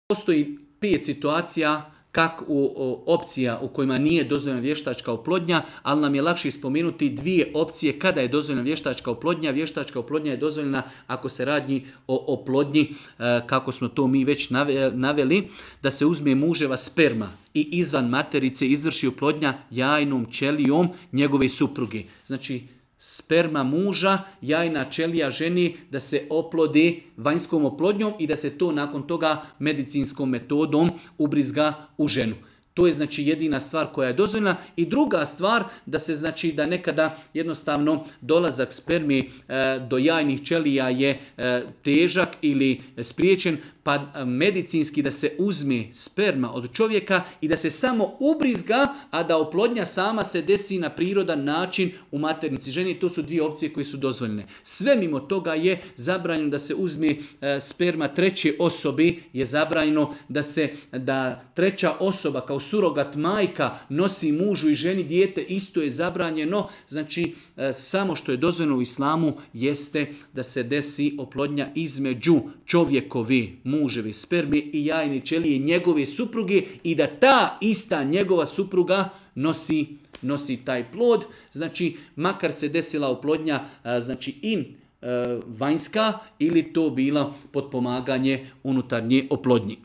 Postoji 5 situacija opcija u kojima nije dozvoljena vještačka oplodnja, ali nam je lakše spomenuti 2 opcije kada je dozvoljena vještačka oplodnja. Vještačka oplodnja je dozvoljena ako se radi o oplodnji, kako smo to mi već naveli, da se uzme muževa sperma i izvan materice izvrši oplodnja jajnom ćelijom njegove supruge. Znači, sperma muža, jajna ćelija ženi da se oplodi vanjskom oplodnjom i da se to nakon toga medicinskom metodom ubrizga u ženu. To je znači jedina stvar koja je dozvoljena. I druga stvar da se znači da nekada jednostavno dolazak spermi do jajnih ćelija je težak ili spriječen, pa medicinski da se uzme sperma od čovjeka i da se samo ubrizga, a da oplodnja sama se desi na prirodan način u maternici ženi. To su 2 opcije koje su dozvoljene. Sve mimo toga je zabranjeno da se uzme sperma treće osobi, je zabranjeno da treća osoba kao surogat majka nosi mužu i ženi dijete, isto je zabranjeno. Znači, samo što je dozvoljeno u islamu jeste da se desi oplodnja između čovjekove muževe sperme i jajne ćelije njegove supruge i da ta ista njegova supruga nosi taj plod. Znači, makar se desila oplodnja znači vanjska ili to bilo potpomaganje unutarnje oplodnje.